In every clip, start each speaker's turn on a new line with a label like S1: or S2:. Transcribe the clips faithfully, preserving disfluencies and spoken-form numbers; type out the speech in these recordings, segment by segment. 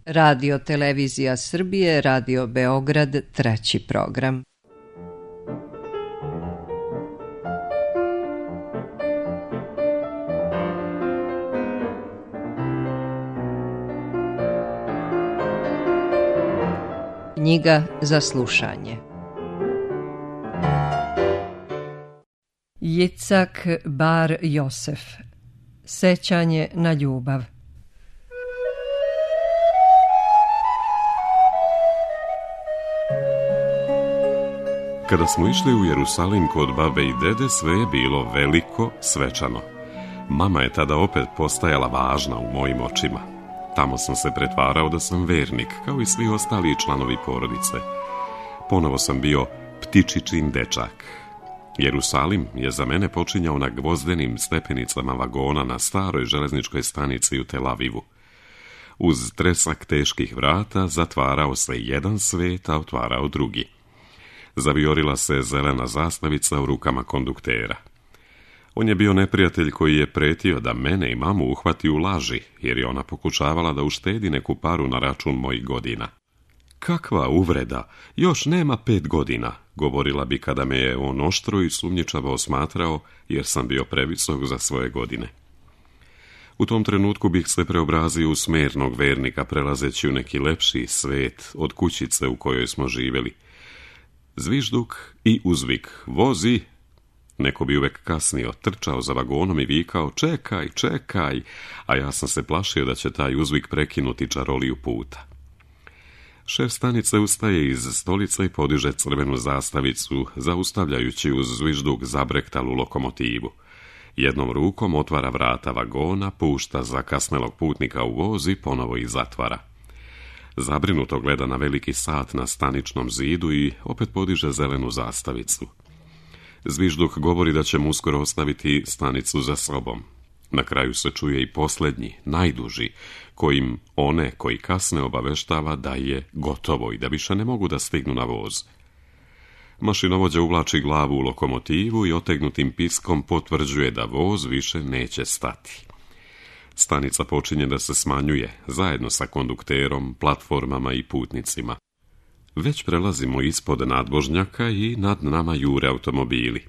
S1: Radio Televizija Srbije, Radio Beograd, treći program. Knjiga za slušanje. Jicak Bar Josef. Sećanje na ljubav.
S2: Kada smo išli u Jerusalim kod babe i dede, sve je bilo veliko, svečano. Mama je tada opet postajala važna u mojim očima. Tamo sam se pretvarao da sam vernik, kao i svi ostali članovi porodice. Ponovo sam bio ptičičin dečak. Jerusalim je za mene počinjao na gvozdenim stepenicama vagona na staroj železničkoj stanici u Tel Avivu. Uz tresak teških vrata zatvarao se jedan svet, a otvarao drugi. Zavijorila se zelena zastavica u rukama konduktera. On je bio neprijatelj koji je pretio da mene i mamu uhvati u laži, jer je ona pokušavala da uštedi neku paru na račun mojih godina. Kakva uvreda, još nema pet godina, govorila bi kada me je on oštro i sumnjičavo osmatrao, jer sam bio previsok za svoje godine. U tom trenutku bih se preobrazio u smernog vernika, prelazeći u neki lepši svet od kućice u kojoj smo živjeli. Zvižduk i uzvik, vozi. Neko bi uvek kasnio, trčao za vagonom i vikao, čekaj, čekaj, a ja sam se plašio da će taj uzvik prekinuti čaroliju puta. Šef stanice ustaje iz stolice i podiže crvenu zastavicu, zaustavljajući uz zvižduk zabrektalu lokomotivu. Jednom rukom otvara vrata vagona, pušta zakasnelog putnika u voz i ponovo ih zatvara. Zabrinuto gleda na veliki sat na staničnom zidu i opet podiže zelenu zastavicu. Zvižduk govori da će mu uskoro ostaviti stanicu za sobom. Na kraju se čuje i posljednji, najduži, kojim one koji kasne obaveštava da je gotovo i da više ne mogu da stignu na voz. Mašinovođa uvlači glavu u lokomotivu i otegnutim piskom potvrđuje da voz više neće stati. Stanica počinje da se smanjuje, zajedno sa kondukterom, platformama i putnicima. Već prelazimo ispod nadvožnjaka i nad nama jure automobili.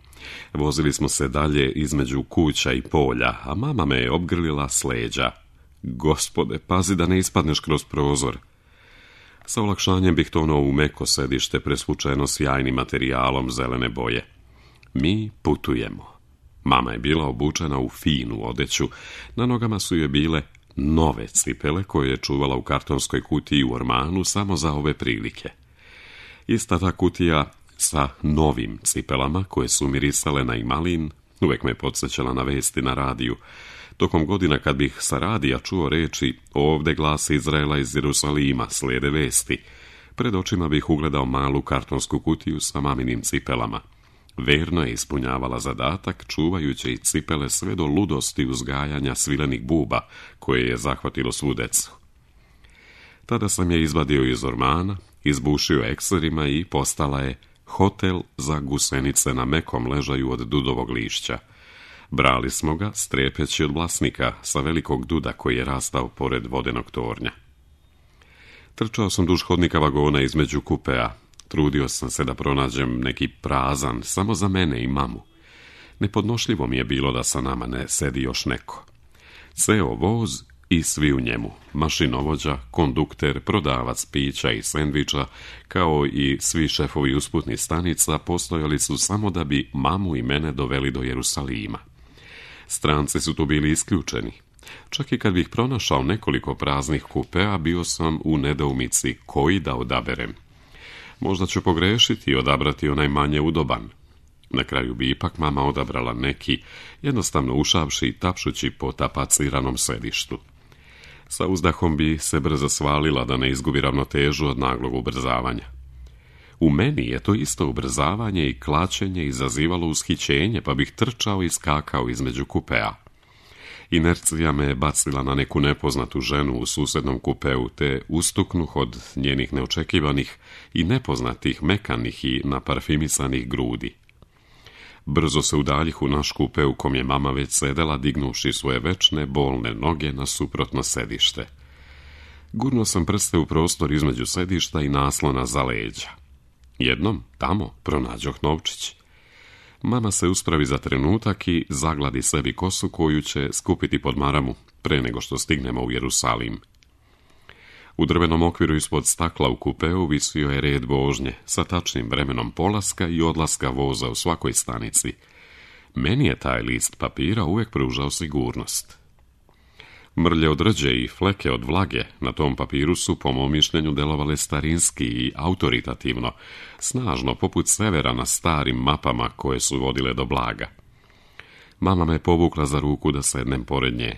S2: Vozili smo se dalje između kuća i polja, a mama me je obgrlila s leđa. Gospode, pazi da ne ispadneš kroz prozor. Sa olakšanjem bih tonuo u meko sedište presvučeno sjajnim materijalom zelene boje. Mi putujemo. Mama je bila obučena u finu odeću, na nogama su joj bile nove cipele koje je čuvala u kartonskoj kutiji u ormanu samo za ove prilike. Ista ta kutija sa novim cipelama koje su mirisale na imalin uvek me podsjećala na vesti na radiju. Tokom godina kad bih sa radija čuo reči ovde glas Izraela iz Jerusalima, slijede vesti, pred očima bih ugledao malu kartonsku kutiju sa maminim cipelama. Verno je ispunjavala zadatak, čuvajući i cipele sve do ludosti uzgajanja svilenih buba koje je zahvatilo svu decu. Tada sam je izvadio iz ormana, izbušio ekserima i postala je hotel za gusenice na mekom ležaju od dudovog lišća. Brali smo ga, strepeći od vlasnika sa velikog duda koji je rastao pored vodenog tornja. Trčao sam duž hodnika vagona između kupea. Trudio sam se da pronađem neki prazan, samo za mene i mamu. Nepodnošljivo mi je bilo da sa nama ne sedi još neko. Ceo voz i svi u njemu, mašinovođa, kondukter, prodavac pića i sendviča, kao i svi šefovi usputnih stanica, postojali su samo da bi mamu i mene doveli do Jerusalima. Stranci su tu bili isključeni. Čak i kad bih pronašao nekoliko praznih kupea, bio sam u nedoumici koji da odaberem. Možda ću pogrešiti i odabrati onaj manje udoban. Na kraju bi ipak mama odabrala neki, jednostavno ušavši i tapšući po tapaciranom sedištu. Sa uzdahom bi se brzo svalila da ne izgubi ravnotežu od naglog ubrzavanja. U meni je to isto ubrzavanje i klačenje izazivalo ushićenje, pa bih trčao i skakao između kupea. Inercija me je bacila na neku nepoznatu ženu u susednom kupeu, te ustuknuh od njenih neočekivanih i nepoznatih mekanih i naparfimisanih grudi. Brzo se udaljih u naš kupe u kom je mama već sedela, dignuvši svoje večne bolne noge na suprotno sedište. Gurnuo sam prste u prostor između sedišta i naslona za leđa. Jednom, tamo, pronađoh novčić. Mama se uspravi za trenutak i zagladi sebi kosu koju će skupiti pod maramu pre nego što stignemo u Jerusalim. U drvenom okviru ispod stakla u kupeu visio je red vožnje sa tačnim vremenom polaska i odlaska voza u svakoj stanici. Meni je taj list papira uvijek pružao sigurnost. Mrlje od rđe i fleke od vlage na tom papiru su, po mom mišljenju, delovale starinski i autoritativno, snažno, poput severa na starim mapama koje su vodile do blaga. Mama me povukla za ruku da sednem pored nje.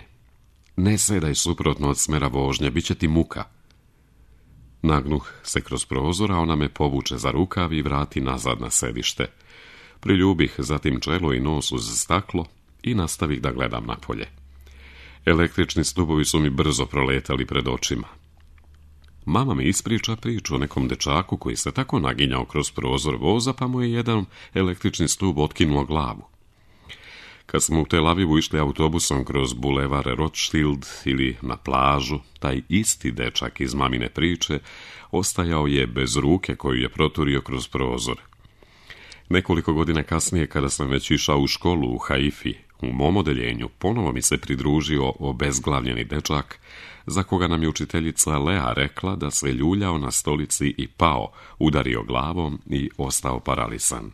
S2: Ne sedaj suprotno od smera vožnje, bit će ti muka. Nagnuh se kroz prozor, a ona me povuče za rukav i vrati nazad na sedište. Priljubih zatim čelo i nos uz staklo i nastavih da gledam napolje. Električni stubovi su mi brzo proletali pred očima. Mama mi ispriča priču o nekom dečaku koji se tako naginjao kroz prozor voza, pa mu je jedan električni stub otkinuo glavu. Kad smo u Tel Avivu išli autobusom kroz bulevar Rothschild ili na plažu, taj isti dečak iz mamine priče ostajao je bez ruke koju je proturio kroz prozor. Nekoliko godina kasnije, kada sam već išao u školu u Haifi, u mom odeljenju ponovo mi se pridružio obezglavljeni dečak, za koga nam je učiteljica Lea rekla da se ljuljao na stolici i pao, udario glavom i ostao paralisan.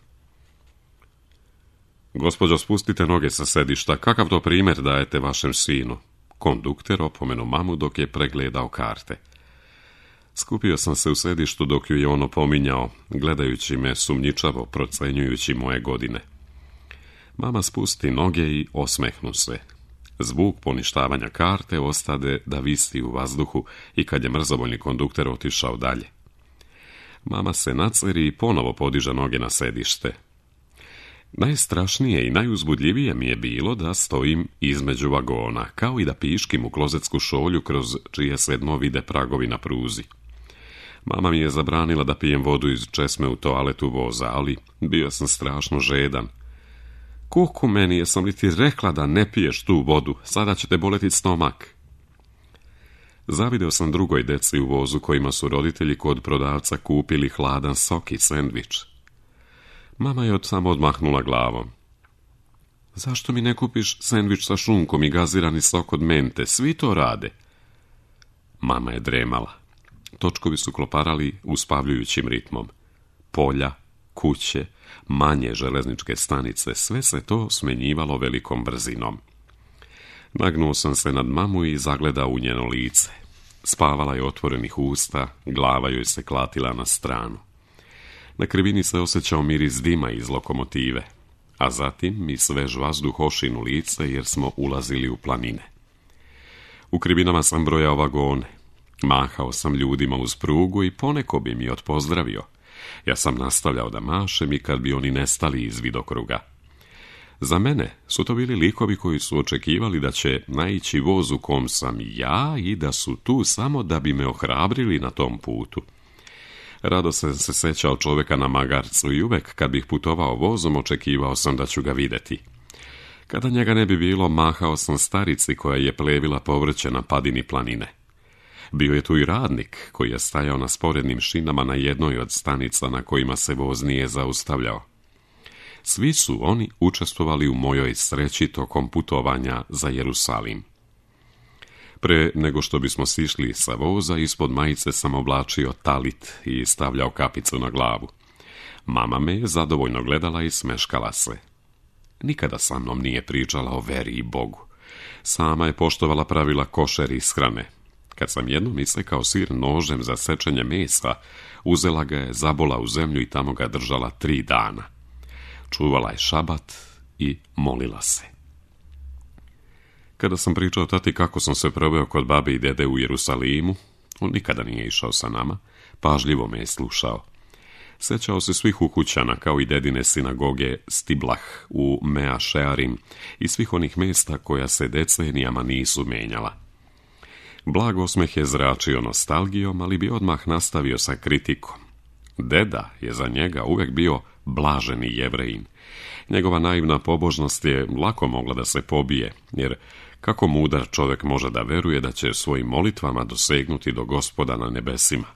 S2: Gospođo, spustite noge sa sedišta, kakav to primjer dajete vašem sinu? Kondukter opomenu mamu dok je pregledao karte. Skupio sam se u sedištu dok ju je on opominjao, gledajući me sumnjičavo, procenjujući moje godine. Mama spusti noge i osmehnu se. Zvuk poništavanja karte ostade da visi u vazduhu i kad je mrzovoljni kondukter otišao dalje. Mama se naceri i ponovo podiže noge na sedište. Najstrašnije i najuzbudljivije mi je bilo da stojim između vagona, kao i da piškim u klozetsku šolju kroz čije se dno vide pragovi na pruzi. Mama mi je zabranila da pijem vodu iz česme u toaletu voza, ali bio sam strašno žedan. Kuku meni, jesam li ti rekla da ne piješ tu vodu, sada će te boleti stomak. Zavideo sam drugoj deci u vozu kojima su roditelji kod prodavca kupili hladan sok i sendvič. Mama je od samo odmahnula glavom. Zašto mi ne kupiš sendvič sa šunkom i gazirani sok od mente? Svi to rade. Mama je dremala. Točkovi su kloparali uspavljujućim ritmom. Polja, kuće, manje železničke stanice, sve se to smenjivalo velikom brzinom. Nagnuo sam se nad mamu i zagledao u njeno lice. Spavala je otvorenih usta, glava joj se klatila na stranu. Na krivini se osjećao miris dima iz lokomotive, a zatim mi svež vazduh ošinu lice jer smo ulazili u planine. U krivinama sam brojao vagone, mahao sam ljudima uz prugu i poneko bi mi odpozdravio. Ja sam nastavljao da mašem i kad bi oni nestali iz vidokruga. Za mene su to bili likovi koji su očekivali da će naići voz u kom sam ja i da su tu samo da bi me ohrabrili na tom putu. Rado sam se sećao čovjeka na magarcu i uvek kad bih putovao vozom očekivao sam da ću ga vidjeti. Kada njega ne bi bilo, mahao sam starici koja je plevila povrće na padini planine. Bio je tu i radnik koji je stajao na sporednim šinama na jednoj od stanica na kojima se voz nije zaustavljao. Svi su oni učestvovali u mojoj sreći tokom putovanja za Jerusalim. Pre nego što bismo sišli sa voza, ispod majice sam oblačio talit i stavljao kapicu na glavu. Mama me je zadovoljno gledala i smeškala se. Nikada sa mnom nije pričala o veri i Bogu. Sama je poštovala pravila košer ishrane. Kad sam jednom isekao sir nožem za sečenje mesa, uzela ga je, zabola u zemlju i tamo ga držala tri dana. Čuvala je šabat i molila se. Kada sam pričao tati kako sam se proveo kod babe i dede u Jerusalimu, on nikada nije išao sa nama, pažljivo me je slušao. Sećao se svih ukućana, kao i dedine sinagoge Stiblah u Mea Shearim i svih onih mjesta koja se decenijama nisu menjala. Blag osmeh je zračio nostalgijom, ali bi odmah nastavio sa kritikom. Deda je za njega uvek bio blaženi Jevrejin. Njegova naivna pobožnost je lako mogla da se pobije, jer Kako mudar čovjek može da veruje da će svojim molitvama dosegnuti do Gospoda na nebesima?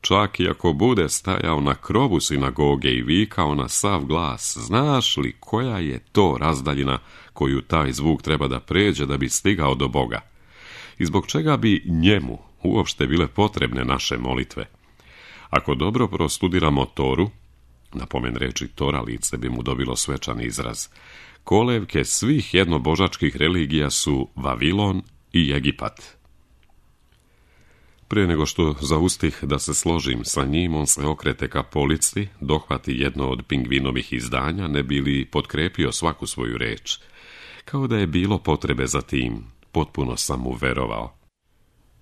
S2: Čak i ako bude stajao na krovu sinagoge i vikao na sav glas, znaš li koja je to razdaljina koju taj zvuk treba da pređe da bi stigao do Boga? I zbog čega bi njemu uopšte bile potrebne naše molitve? Ako dobro prostudiramo Toru, napomen reči Tora lice bi mu dobilo svečan izraz, kolevke svih jednobožačkih religija su Vavilon i Egipat. Prije nego što zaustih da se složim sa njim, on se okrete ka polici, dohvati jedno od pingvinovih izdanja, ne bi li potkrepio svaku svoju reč. Kao da je bilo potrebe za tim, potpuno sam mu verovao.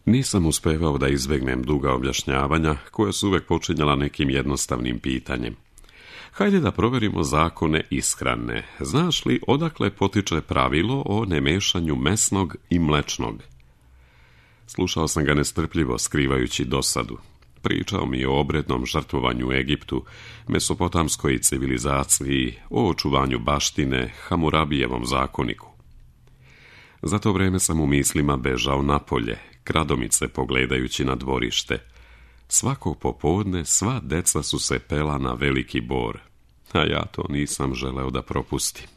S2: Nisam uspevao da izbegnem duga objašnjavanja, koja su uvek počinjala nekim jednostavnim pitanjem. Hajde da proverimo zakone ishrane. Znaš li odakle potiče pravilo o nemešanju mesnog i mlečnog? Slušao sam ga nestrpljivo, skrivajući dosadu. Pričao mi je o obrednom žrtvovanju u Egiptu, mesopotamskoj civilizaciji, o očuvanju baštine, Hamurabijevom zakoniku. Za to vreme sam u mislima bežao napolje, kradomice pogledajući na dvorište. Svakog popodne sva deca su se pela na veliki bor, a ja to nisam želeo da propustim.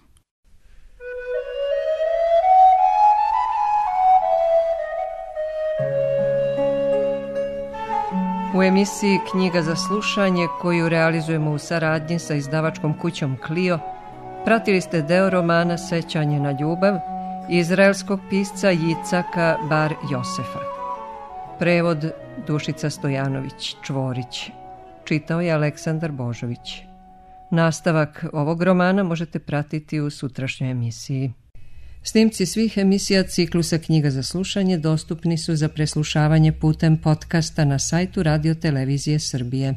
S3: U emisiji Knjiga za slušanje, koju realizujemo u saradnji sa izdavačkom kućom Clio, pratili ste deo romana Sećanje na ljubav izraelskog pisca Jicaka Bar Josefa. Prevod Dušica Stojanović Čvorić. Čitao je Aleksandar Božović. Nastavak ovog romana možete pratiti u sutrašnjoj emisiji. Snimci svih emisija ciklusa Knjiga za slušanje dostupni su za preslušavanje putem podcasta na sajtu Radio Televizije Srbije.